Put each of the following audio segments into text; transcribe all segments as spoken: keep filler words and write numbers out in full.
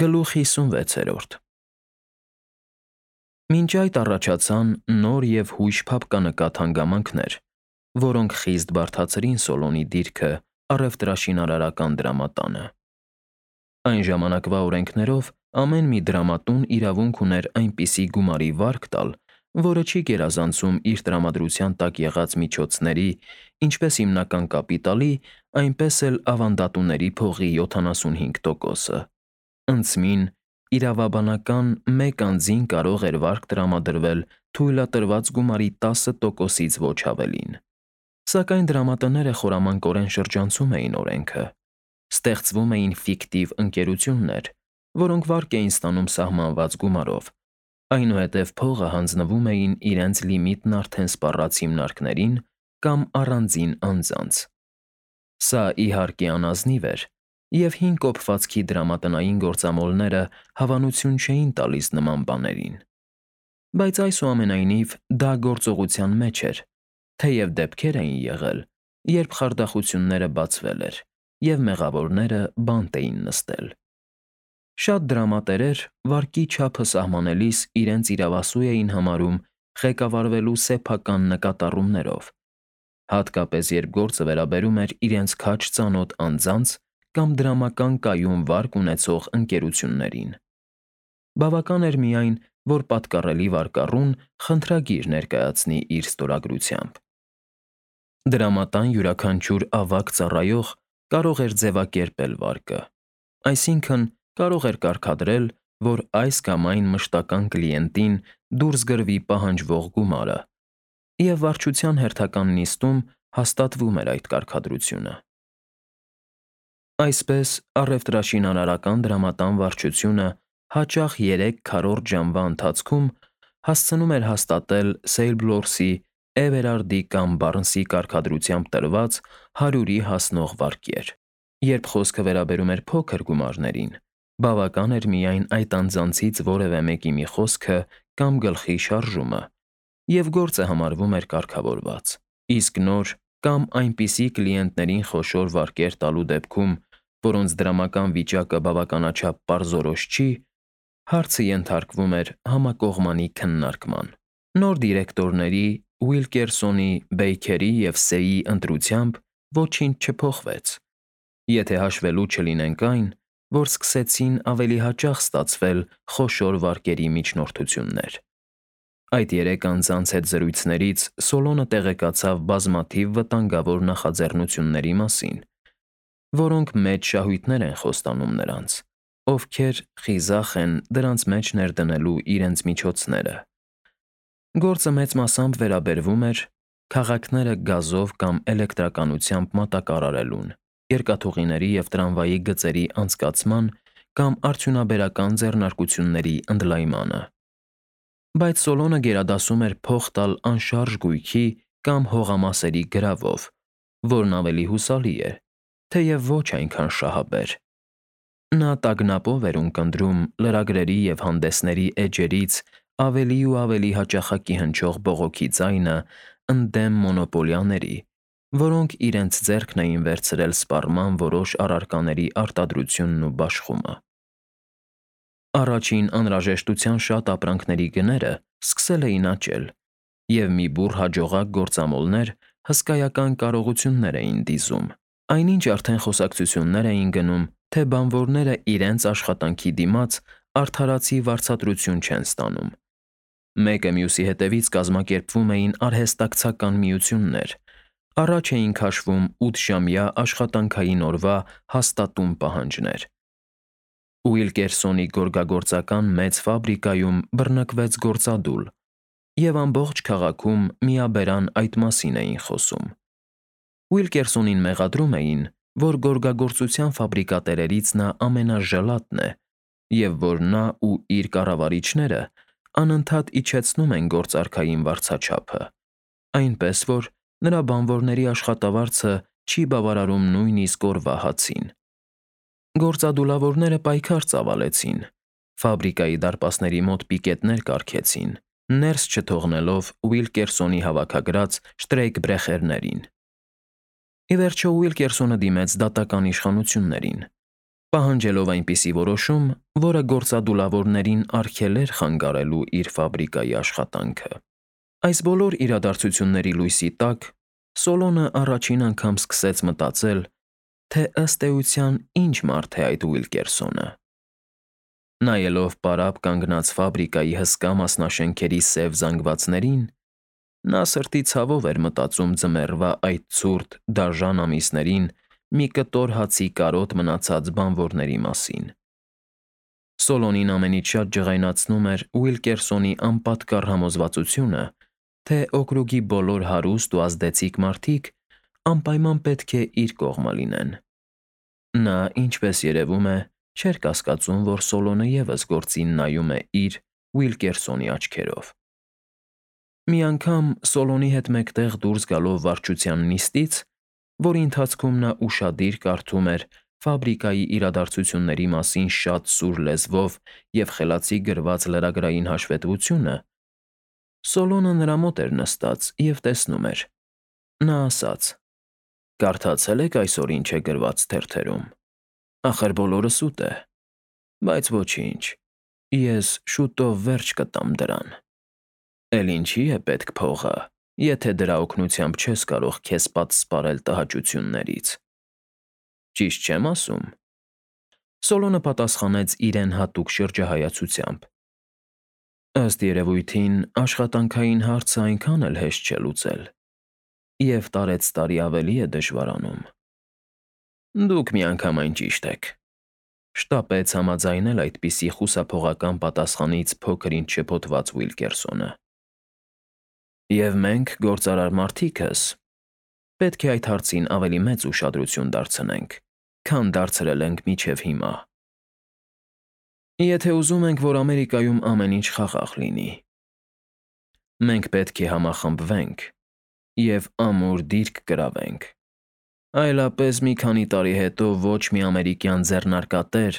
Գլուխ հիսունվեցերորդ Մինչ այդ առաջացան նոր և հույժ փափկանկատ հանգամանքներ, որոնք խիստ բարդացրին Սոլոնի դիրքը առևտրաշինարարական դրամատանը։ Այն ժամանակվա օրենքներով ամեն մի դրամատուն իրավունք ուներ այնպիսի գումարի վարկ տալ, որը չի գերազանցում իր տրամադրության տակ եղած միջոցների, ինչպես հիմնական կապիտալի, այնպես էլ ավանդատուների փողի յոթանասունհինգ տոկոսը։ Ընդսմին, իրավաբանական մեկ անձին կարող էր վարկ տրամադրվել թույլատրված գումարի տասը տոկոսից ոչ ավելին։ Սակայն դրամատները խորամանկորեն շրջանցում էին օրենքը։ Ստեղծվում էին ֆիկտիվ ընկերություններ, որոնք վարկ էին ստանում սահմանված գումարով, այնուհետև փողը հանձնվում էին իրենց լիմիտն արդեն սպառած հիմնարկներին կամ առանձին անձանց։ Սա, իհարկե, անազնիվ էր, և հին կոփվածքի դրամատնային գործամոլները հավանություն չէին տալիս նման բաներին։ Բայց այսուամենայնիվ դա գործողության մեջ էր, թեև դեպքեր էին եղել, երբ խարդախությունները բացվել էր, և մեղավորները բանտ էին նստել։ Շատ դրամատերեր վարկի չափը սահմանելիս իրենց իրավասու էին համարում ղեկավարվելու սեփական նկատառումներով, հատկապես երբ գործը վերաբերում էր իրենց քաջ ծանոթ անձանց կամ դրամական կայուն վարկ ունեցող ընկերություններին։ Բավական էր միայն, որ պատկառելի վարկառուն խնդրագիր ներկայացնի իր ստորագրությամբ։ Դրամատան յուրաքանչյուր ավագ ծառայող կարող էր ձևակերպել վարկը, այսինքն՝ կարող էր կարգադրել, որ այս կամ այն մշտական կլիենտին դուրս գրվի պահանջվող գումարը, և վարչության հերթական նիստում հաստատվում էր այդ կարգադրությունը։ Այսպես, առևտրաշինարարական դրամատան վարչությունը հաճախ երեք քառորդ ժամվա ընթացքում հասցնում էր հաստատել Սեյլբլորսի, Էվերարդի կամ Բարնսի կարգադրությամբ տրված հարյուրի հասնող վարկեր։ Երբ խոսքը վերաբերում էր փոքր գումարներին, բավական էր միայն այդ անձանցից որևէ մեկի մի խոսքը կամ գլխի շարժումը, և գործը համարվում էր կարգավորված։ Իսկ նոր կամ այնպիսի կլիենտներին խոշոր վարկեր տալու դեպքում, որոնց դրամական վիճակը բավականաչափ պարզորոշ չի, հարցը ենթարկվում էր համակողմանի քննարկման։ Նոր դիրեկտորների՝ Ուիլկերսոնի, Բեյքերի և Սեյի ընտրությամբ ոչինչ չփոխվեց, եթե հաշվելու չլինենք այն, որ սկսեցին ավելի հաճախ ստացվել խոշոր վարկերի միջնորդություններ։ Այդ երեք անձանց հետ զրույցներից Սոլոնը տեղեկացավ բազմաթիվ վտանգավոր նախաձեռնությունների մասին, որոնք մեծ շահույթներ են խոստանում նրանց, ովքեր խիզախ են դրանց մեջ ներդնելու իրենց միջոցները։ Գործը մեծ մասամբ վերաբերվում էր քաղաքները գազով կամ էլեկտրականությամբ մատակարարելուն, երկաթուղիների և տրամվայի գծերի անցկացման կամ արդյունաբերական ձեռնարկությունների ընդլայնմանը։ Բայց Սոլոնը գերադասում էր փող տալ անշարժ գույքի կամ հողամասերի գրավով, որն ավելի հուսալի է, թեև ոչ այնքան շահաբեր։ Նա տագնապով էր ունկնդրում լրագրերի և հանդեսների էջերից ավելի ու ավելի հաճախակի հնչող բողոքի ձայնը ընդդեմ մոնոպոլիաների, որոնք իրենց ձեռքն էին վերցրել սպառման որոշ առարկաների արտադրությունն ու բաշխումը։ Առաջին անհրաժեշտության շատ ապրանքների գները սկսել էին աճել, և մի բուռ հաջողակ գործամոլներ հսկայական կարողություններ էին դիզում։ Այնինչ արդեն խոսակցություններ էին գնում, թե բանվորները իրենց աշխատանքի դիմաց արդարացի վարձատրություն չեն ստանում։ Մեկը մյուսի հետևից կազմակերպվում էին արհեստակցական միություններ, առաջ էին քաշվում ութժամյա աշխատանքային օրվա հաստատուն պահանջներ։ Ուիլկերսոնի գորգագործական մեծ ֆաբրիկայում բռնկվեց գործադուլ, և ամբողջ քաղաքում միաբերան այդ մասին էին խոսում։ Ուիլկերսոնին մեղադրում էին, որ գորգագործության ֆաբրիկատերերից նա ամենաժլատն է, և որ նա ու իր կառավարիչները անընդհատ իջեցնում են գործարքային վարձաչափը, այնպես որ նրա բանվորների աշխատավարձը չի բավարարում նույնիսկ օրվա հացին։ Գործադուլավորները պայքար ծավալեցին, ֆաբրիկայի դարպասների մոտ պիկետներ կառքեցին, ներս չթողնելով Ուիլկերսոնի հավաքագրած շտրեյքբրեխերներին։ Ի վերջո Ուիլկերսոնը դիմեց դատական իշխանություններին, պահանջելով այնպիսի որոշում, որը գործադուլավորներին արգելեր խանգարելու իր ֆաբրիկայի աշխատանքը։ Այս բոլոր իրադարձությունների լույսի տակ Սոլոնը առաջին անգամ սկսեց մտածել, թե ըստ էության ինչ մարդ է այդ Ուիլկերսոնը։ Նայելով պարապ կանգնած ֆաբրիկայի հսկա մասնաշենքերի սև զանգվածներին, նա սրտի ցավով էր մտածում ձմեռվա այդ ցուրտ, դաժան ամիսներին մի կտոր հացի կարոտ մնացած բանվորների մասին։ Սոլոնին ամենից շատ ջղայնացնում էր Ուիլկերսոնի անպատկառ համոզվածությունը, թե օկրուգի բոլոր հարուստ ու ազդեցիկ մարդիկ անպայման պետք է իր կողմը լինեն։ Նա, ինչպես երևում է, չէր կասկածում, որ Սոլոնը ևս գործին նայում է իր Ուիլկերսոնի աչքերով։ Մի անգամ Սոլոնի հետ մեկտեղ դուրս գալով վարչության նիստից, որի ընթացքում նա ուշադիր կարդում էր ֆաբրիկայի իրադարձությունների մասին շատ սուր լեզվով և խելացի գրված լրագրային հաշվետվությունը, Սոլոնը նրա մոտ էր նստած և տեսնում էր։ Նա ասաց. «Կարդացե՞լ եք այսօր ինչ է գրված թերթերում։ Ախր բոլորը սուտ է, բայց ոչինչ, ես շուտով վերջ կտամ դրան։ Էլ ինչի է պետք փողը, եթե դրա օգնությամբ չես կարող քեզ պատսպարել տհաճություններից։ Ճիշտ չե՞մ ասում»։ Սոլոնը պատասխանեց իրեն հատուկ շրջահայացությամբ. «Ըստ երևույթին, աշխատանքային հարցը այնքան էլ հեշտ չէ լուծել, և տարեցտարի ավելի է դժվարանում»։ «Դուք միանգամայն ճիշտ եք», շտապեց համաձայնել այդպիսի խուսափողական պատասխանից փոքր-ինչ շփոթված Ուիլկերսոնը։ «Եվ մենք, գործարար մարդիկս, պետք է այդ հարցին ավելի մեծ ուշադրություն դարձնենք, քան դարձրել ենք մինչև հիմա։ Եթե ուզում ենք, որ Ամերիկայում ամեն ինչ խաղաղ լինի, մենք պետք է համախմբվենք և ամուր դիրք գրավենք, այլապես մի քանի տարի հետո ոչ մի ամերիկյան ձեռնարկատեր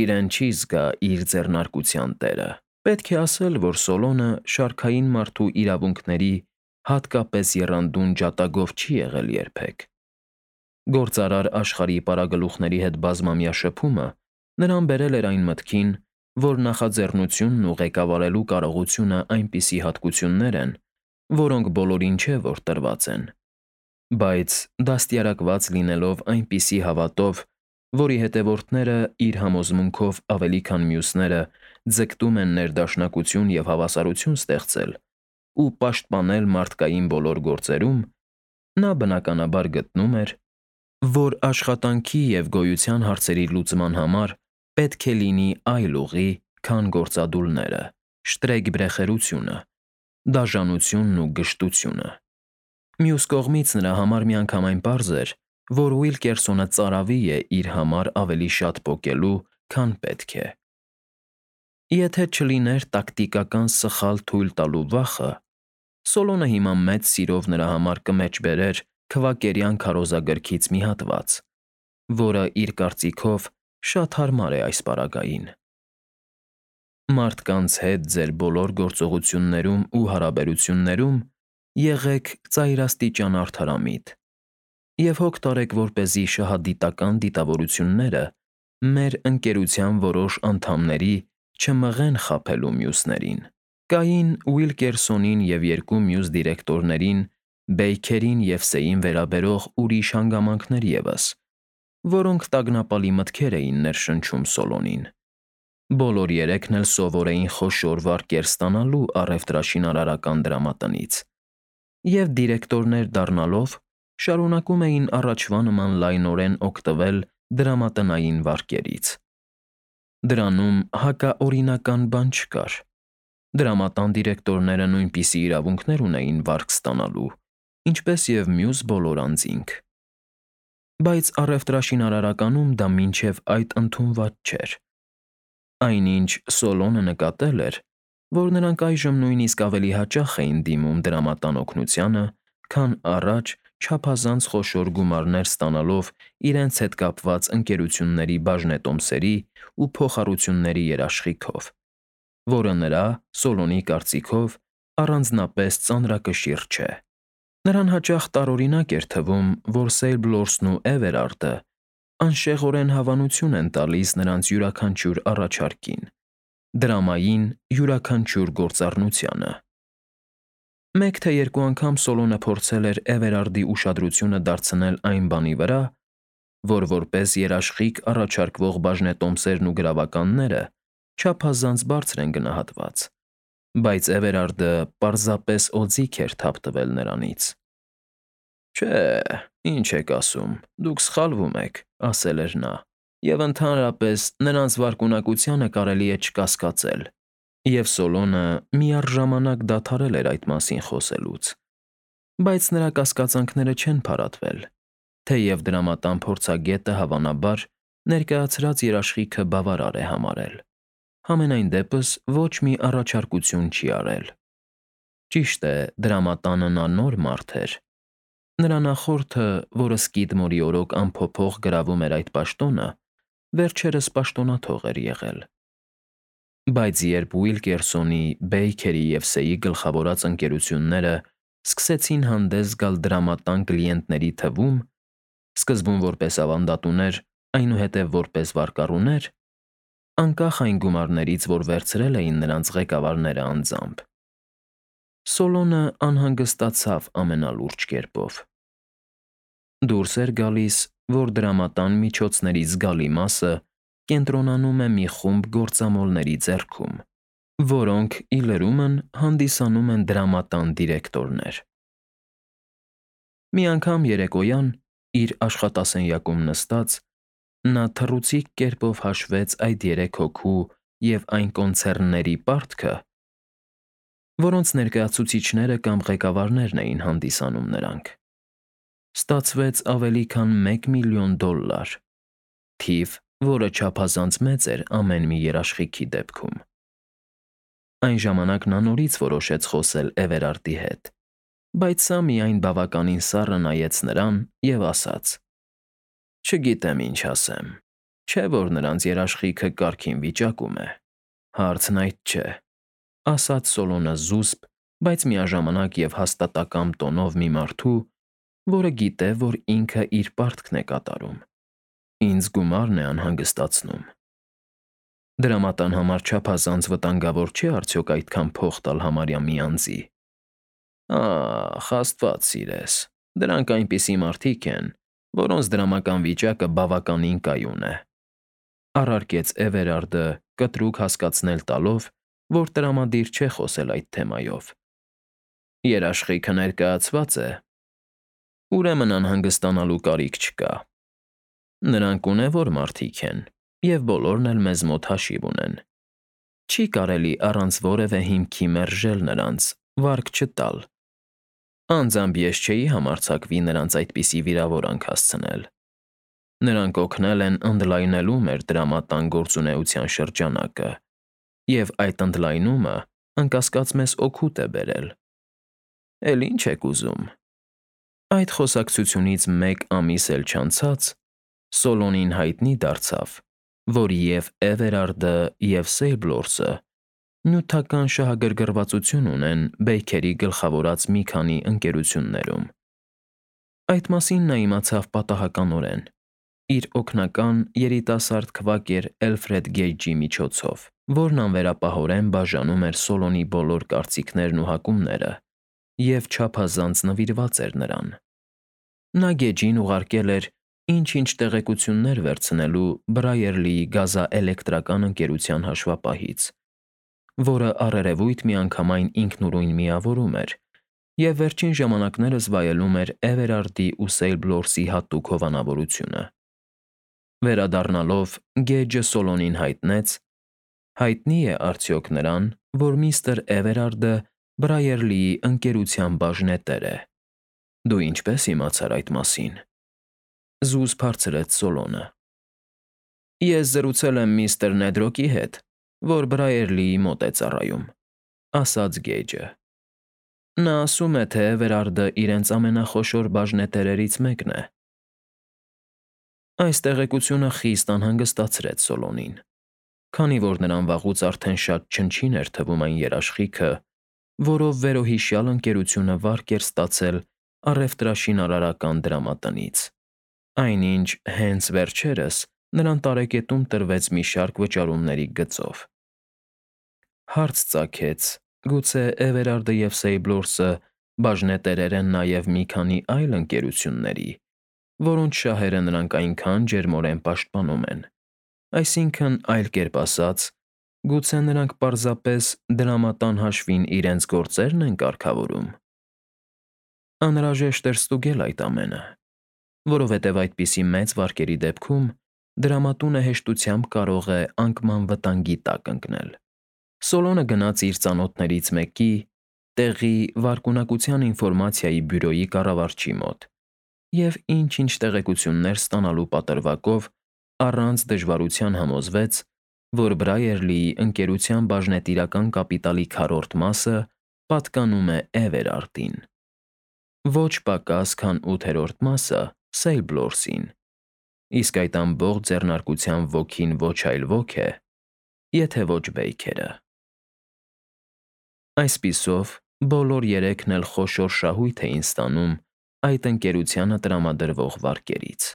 իրեն չի զգա իր ձեռնարկության տերը»։ Պետք է ասել, որ Սոլոնը շարքային մարդու իրավունքների, հատկապես եռանդուն ջատագով չի եղել երբեք։ Գործարար աշխարհի պարագլուխների հետ բազմամյա շփումը նրան բերել էր այն մտքին, որ նախաձեռնությունն ու ղեկավարելու կարողությունը այնպիսի հատկություններ են, որոնք բոլորին չէ, որ տրված են, բայց դաստիարակված լինելով այնպիսի հավատով, որի հետևորդները իր համոզմունքով ավելի քան մյուսները ձգտում են ներդաշնակություն և հավասարություն ստեղծել ու պաշտպանել մարդկային բոլոր գործերում, նա բնականաբար գտնում էր, որ աշխատանքի և գոյության հարցերի լուծման համար պետք է լինի այլ ուղի, քան գործադուլները, շտրեկբրեխերությունը, դաժանությունն ու գժտությունը։ Մյուս կողմից նրա համար միանգամայն պարզ էր, որ Ուիլկերսոնը ծարավի է իր համար ավելի շատ պոկելու, քան պետք է։ Եթե չլիներ տակտիկական սխալ թույլ տալու վախը, Սոլոնը հիմա մեծ սիրով նրա համար կմեջբերեր քվակերյան քարոզագրքից մի հատված, որը, իր կարծիքով, շատ հարմար է այս պարագային. «Մարդկանց հետ ձեր բոլոր գործողություններում ու հարաբերություններում եղեք ծայրաստիճան արդարամիտ և հոգ տարեք, որպեսզի շահադիտական դիտավորությունները մեր ընկերության որոշ անդամների չմղեն խաբելու մյուսներին»։ Կային Ուիլկերսոնին և երկու մյուս դիրեկտորներին, Բեյքերին և Սեյին վերաբերող ուրիշ հանգամանքներ ևս, որոնք տագնապալի մտքեր էին ներշնչում Սոլոնին։ Բոլոր երեքն էլ սովոր էին խոշոր վարկեր ստանալու առևտրաշինարարական դրամատնից և դիրեկտորներ դառնալով շարունակում էին առաջվա նման լայնորեն օգտվել դրամատնային վարկերից։ Դրանում հակաօրինական բան չկար։ Դրամատան դիրեկտորները նույնպիսի իրավունքներ ունեին վարկ ստանալու, ինչպես և մյուս բոլոր անձինք։ Բայց առևտրաշինարարականում դա մինչև այդ ընդունված չէր։ Այնինչ Սոլոնը նկատել էր, որ նրանք այժմ նույնիսկ ավելի հաճախ էին դիմում դրամատան օգնությանը, քան առաջ չափազանց խոշոր գումարներ ստանալով իրենց հետ կապված ընկերությունների բաժնետոմսերի ու փոխառությունների երաշխիքով, որը նրա՝ Սոլոնի կարծիքով, առանձնապես ծանրակշիռ չէ։ Նրան հաճախ տարօրինակ էր թվում, որ Սեյբլորսն ու Էվերարդը անշեղորեն հավանություն են տալիս նրանց յուրաքանչյուր առաջարկին, դրամային յուրաքանչյուր գործառնությանը։ Մեկ թե երկու անգամ Սոլոնը փորձել էր Էվերարդի ուշադրությունը դարձնել այն բանի վրա, որ որպես երաշխիք առաջարկվող բաժնետոմսերն ու գրավականները չափազանց բարձր են գնահատված, բայց Էվերարդը պարզապես օձիք էր թափ տվել նրանից։ «Չէ, ինչ եք ասում, դուք սխալվում եք», ասել էր նա, և ընդհանրապես նրանց վարկունակությանը կարելի է չկասկածել, և Սոլոնը միառժամանակ դադարել էր այդ մասին խոսելուց։ Բայց նրա կասկածանքները չեն փարատվել, թեև դրամատան փորձագետը, հավանաբար, ներկայացրած երաշխիքը բավարար է համարել, համենայն դեպս ոչ մի առաջարկություն չի արել։ Ճիշտ է, դրամատանը նա նոր մարդ էր։ Նրա նախորդը, որը Սկիդմորի օրոք անփոփոխ գրավում էր այդ պաշտոնը, վերջերս պաշտոնաթող էր եղել։ Բայց երբ Ուիլկերսոնի, Բեյքերի և Սեի գլխավորած ընկերությունները սկսեցին հանդես գալ դրամատան կլիենտների թվում, սկզբում որպես ավանդատուներ, այնուհետև որպես վարկառուներ, անկախ այն գումարներից, որ վերցրել էին նրանց ղեկավարները անձամբ, Սոլոնը անհանգստացավ ամենալուրջ կերպով։ Դուրս էր գալիս, որ դրամատան միջոցների զգալի մասը կենտրոնանում է մի խումբ գործամոլների ձեռքում, որոնք, ի լրումն, հանդիսանում են դրամատան դիրեկտորներ։ Մի անգամ երեկոյան, իր աշխատասենյակում նստած, նա թռուցիկ կերպով հաշվեց այդ երեք հոգու և այն կոնցեռնների պարտքը, որոնց ներկայացուցիչները կամ ղեկավարներն էին հանդիսանում նրանք։ Ստացվեց ավելի քան մեկ միլիոն դոլլար, թիվ, որը չափազանց մեծ էր ամեն մի երաշխիքի դեպքում։ Այն ժամանակ նա նորից որոշեց խոսել Էվերարդի հետ, բայց սա միայն բավականին սառը նայեց նրան և ասաց. «Չգիտեմ ինչ ասեմ, չէ՞ որ նրանց երաշխիքը կարգին վիճակում է»։ «Հարցն այդ չէ», ասաց Սոլոնը զուսպ, բայց միաժամանակ և հաստատակամ տոնով մի մարդու, որը գիտե, որ ինքը իր պարտքն է կատարում։ «Ինձ գումարն է անհանգստացնում»։ Դրամատան համար չափազանց վտանգավոր չէ արդյոք այդքան փող տալ համարյա մի անձի։ Ա՜խ, Աստված սիրես, դրանք այնպիսի մարդիկ են, որոնց դրամական վիճակը բավականին կայուն է, առարկեց Էվերարդը, կտրուկ հասկացնել տալով, որ տրամադիր չէ խոսել այդ թեմայով։ Երաշխիքը ներկայացված է։ Ուրեմն անհանգստանալու կարիք չկա։ Նրանք ունևոր մարդիկ են, և բոլորն էլ մեզ մոտ հաշիվ ունեն։ Չի կարելի առանց որևէ հիմքի մերժել նրանց, վարկ չտալ։ Անձամբ ես չէի համարձակվի նրանց այդպիսի վիրավորանք հասցնել։ Նրանք օգնել են ընդլայնելու մեր դրամատան գործունեության շրջանակը, և այդ ընդլայնումը, անկասկած, մեզ օգուտ է բերել։ Էլ ի՞նչ եք ուզում։ Այդ խոսակցությունից մեկ ամիս էլ չանցած Սոլոնին հայտնի դարձավ, որ և Էվերարդը, և Սեյբլորսը նյութական շահագրգռվածություն ունեն Բեյքերի գլխավորած մի քանի ընկերություններում։ Այդ մասին նա իմացավ պատահականորեն, իր օգնական երիտասարդ քվակեր Էլֆրեդ Գեյջի միջոցով, որն անվերապահորեն բաժանում էր Սոլոնի բոլոր կարծիքներն ու հակումները և չափազանց նվիրված էր նրան։ Նա Գեջին ուղարկել էր ինչ֊ինչ տեղեկություններ վերցնելու Բրայերլիի գազաէլեկտրական ընկերության հաշվապահից, որը առերևույթ միանգամայն ինքնուրույն միավորում էր և վերջին ժամանակներս վայելում էր Էվերարդի ու Սեյբլորսի հատուկ հովանավորությունը։ Վերադառնալով, Գեյջը Սոլոնին հայտնեց. «Հայտնի է արդյոք նրան, որ միստր Էվերարդը Բրայերլիի ընկերության բաժնետեր է։ Դու ինչպե՞ս իմացար այդ մասին»։ Զուսպ հարցրեց Սոլոնը։ Ես զրուցել եմ միստր Նեդրոկի հետ, որ Բրայերլիի մոտ է ծառայում, ասաց Գեյջը։ Նա ասում է, թե Էվերարդը իրենց ամենախոշոր բաժնետերերից մեկն է։ Այս տեղեկությունը խիստ անհանգստացրեց Սոլոնին, քանի որ նրան վաղուց արդեն շատ չնչին էր թվում այն երաշխիքը, որով վերոհիշյալ ընկերությունը վարկ էր ստացել առևտրաշինարարական դրամատնից։ Այնինչ հենց վերջերս նրան տարեկետում տրվեց մի շարք վճարումների գծով։ Հարց ծագեց. գուցե Էվերարդը և Սեյբլորսը բաժնետերեր են նաև մի քանի այլ ընկերությունների, որոնց շահերը նրանք այնքան ջերմորեն պաշտպանում են։ Այսինքն, այլ կերպ ասած, գուցե նրանք պարզապես դրամատան հաշվին իրենց գործերն են կարգավորում։ Անհրաժեշտ էր ստուգել այդ ամենը, որովհետև այդպիսի մեծ վարկերի դեպքում դրամատունը հեշտությամբ կարող է անկման վտանգի տակ ընկնել։ Սոլոնը գնաց իր ծանոթներից մեկի, տեղի վարկունակության ինֆորմացիայի բյուրոյի կառավարչի մոտ և ինչ-ինչ տեղեկություններ ստանալու պատրվակով առանց դժվարության համոզվեց, որ Բրայերլիի ընկերության բաժնետիրական կապիտալի քառորդ մասը պատկանում է Էվերարդին, ոչ պակաս, քան ութերորդ մասը Սեյբլորսին, իսկ այդ ամբողջ ձեռնարկության ոգին ոչ այլ ոք է, եթե ոչ Բեյքերը։ Այսպիսով, բոլոր երեքն էլ խոշոր շահույթ էին ստանում այդ ընկերությանը տրամադրվող վարկերից։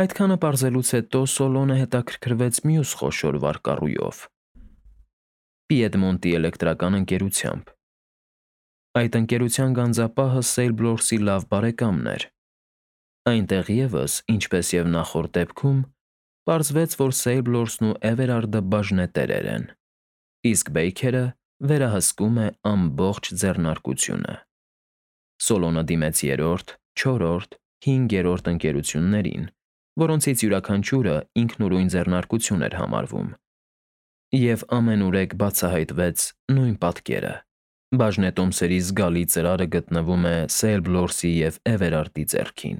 Այդքանը պարզելուց հետո Սոլոնը հետաքրքրվեց մյուս խոշոր վարկառույով՝ Պիեդմոնտի էլեկտրական ընկերությամբ։ Այդ ընկերության գանձապահը Սեյբլորսի լավ բարեկամն էր։ Այնտեղ ևս, ինչպես և նախորդ դեպքում, պարզվեց, որ Սեյբլորսն ու Էվերարդը բաժնետերեր են, իսկ Բեյքերը վերահսկում է ամբողջ ձեռնարկությունը։ Սոլոնը դիմեց երրորդ, չորրորդ, հինգերորդ ընկերություններին, որոնցից յուրաքանչյուրը ինքնուրույն ձեռնարկություն էր համարվում, և ամենուրեք բացահայտվեց նույն պատկերը. բաժնետոմսերի զգալի ծրարը գտնվում է Սեյբլորսի և Էվերարդի ձեռքին։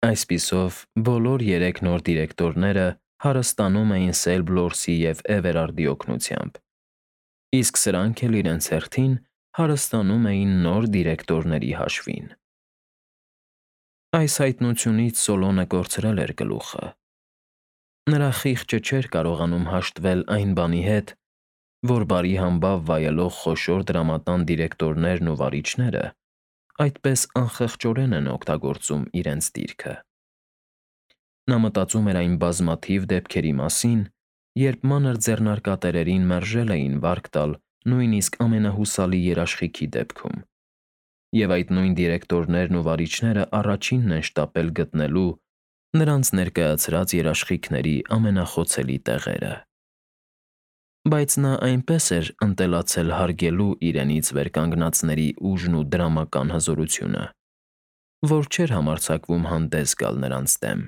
Այսպիսով, բոլոր երեք նոր դիրեկտորները հարստանում էին Սեյբլորսի և Էվերարդի օգնությամբ, իսկ սրանք էլ իրենց հերթին հարստանում էին նոր դիրեկտորների հաշվին։ Այս հայտնությունից Սոլոնը կորցրել էր գլուխը։ Նրա խիղճը չէր կարողանում հաշտվել այն բանի հետ, որ բարի համբավ վայելող խոշոր դրամատան դիրեկտորներն ու վարիչները այդպես անխղճորեն են օգտագործում իրենց դիրքը։ Նա մտածում էր այն բազմաթիվ դեպքերի մասին, երբ մանր ձեռնարկատերերին մերժել էին վարկ տալ նույնիսկ ամենահուսալի երաշխիքի դեպքում, և այդ նույն դիրեկտորներն ու վարիչները առաջինն են շտապել գտնելու նրանց ներկայացրած երաշխիքների ամենախոցելի տեղերը։ Բայց նա այնպես էր ընտելացել հարգելու իրենից վեր կանգնածների ուժն ու դրամական հզորությունը, որ չէր համարձակվում հանդես գալ նրանց դեմ։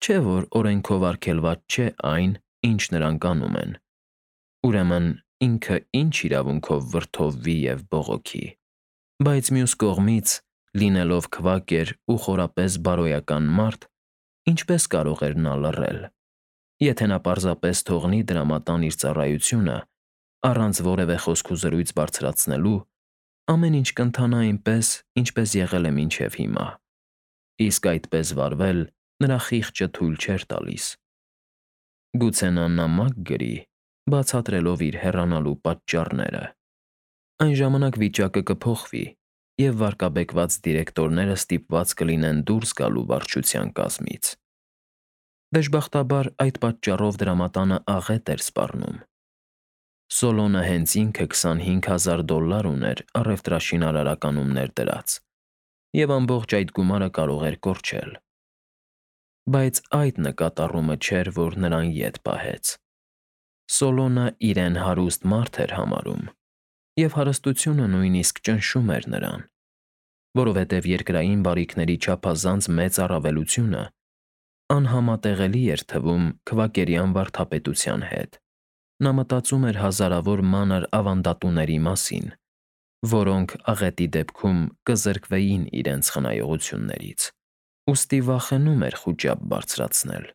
Չէ՞ որ օրենքով արգելված չէ այն, ինչ նրանք անում են, ուրեմն ինքը ինչ իրավունքով վրդովվի և բողոքի։ Բայց մյուս կողմից, լինելով քվակեր ու խորապես բարոյական մարդ, ինչպե՞ս կարող էր նա լռել, եթե նա պարզապես թողնի դրամատան իր ծառայությունը, առանց որևէ խոսք ու զրույց բարձրացնելու, ամեն ինչ կընթանա այնպես, ինչպես եղել է մինչև հիմա, իսկ այդպես վարվել նրա խիղճը թույլ չէր տալիս։ Գուցե նա նամակ գրի՝ բացատրելով իր հեռանալու պատճառները։ Այն ժամանակ վիճակը կփոխվի, և վարկաբեկված դիրեկտորները ստիպված կլինեն դուրս գալու վարչության կազմից։ Դժբախտաբար, այդ պատճառով դրամատանը աղետ էր սպառնում։ Սոլոնը հենց ինքը քսանհինգ հազար դոլար ուներ առևտրաշինարարականում ներդրած, և ամբողջ այդ գումարը կարող էր կորչել։ Բայց այդ նկատառումը չէր, որ նրան ետ պահեց։ Սոլոնը իրեն հարուստ մարդ էր համարում, և հարստությունը նույնիսկ ճնշում էր նրան, որովհետև երկրային բարիքների չափազանց մեծ առավելությունը անհամատեղելի էր թվում քվակերյան վարդապետության հետ։ Նա մտածում էր հազարավոր մանր ավանդատուների մասին, որոնք աղետի դեպքում կզրկվեին իրենց խնայողություններից, ուստի վախենում էր խուճապ բարձրացնել։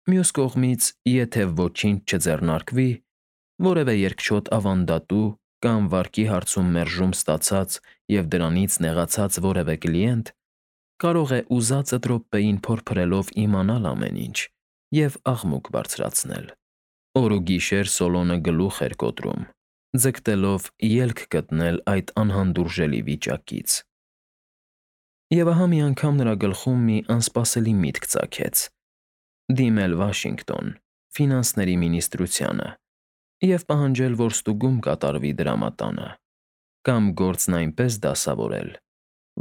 Մյուս կողմից, եթե ոչինչ չձեռնարկվի, որևէ երկչոտ ավանդատու կամ վարկի հարցում մերժում ստացած և դրանից նեղացած որևէ կլիենտ կարող է ուզածդ րոպեին փորփրելով իմանալ ամեն ինչ և աղմուկ բարձրացնել։ Օր ու գիշեր Սոլոնը գլուխ էր կոտրում, ձգտելով ելք գտնել այդ անհանդուրժելի վիճակից։ Եվ ահա մի անգամ նրա գլխում մի անսպասելի միտք ծագեց. դիմել Վաշինգտոն, ֆինանսների մինիստրությանը և պահանջել, որ ստուգում կատարվի դրամատանը, կամ գործն այնպես դասավորել,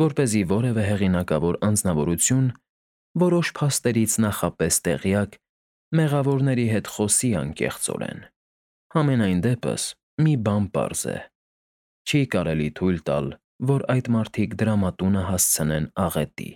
որպեսզի որևէ հեղինակավոր անձնավորություն, որոշ փաստերից նախապես տեղյակ, մեղավորների հետ խոսի անկեղծորեն։ Համենայն դեպս, մի բան պարզ է. չի կարելի թույլ տալ, որ այդ մարդիկ դրամատունը հասցնեն աղետի։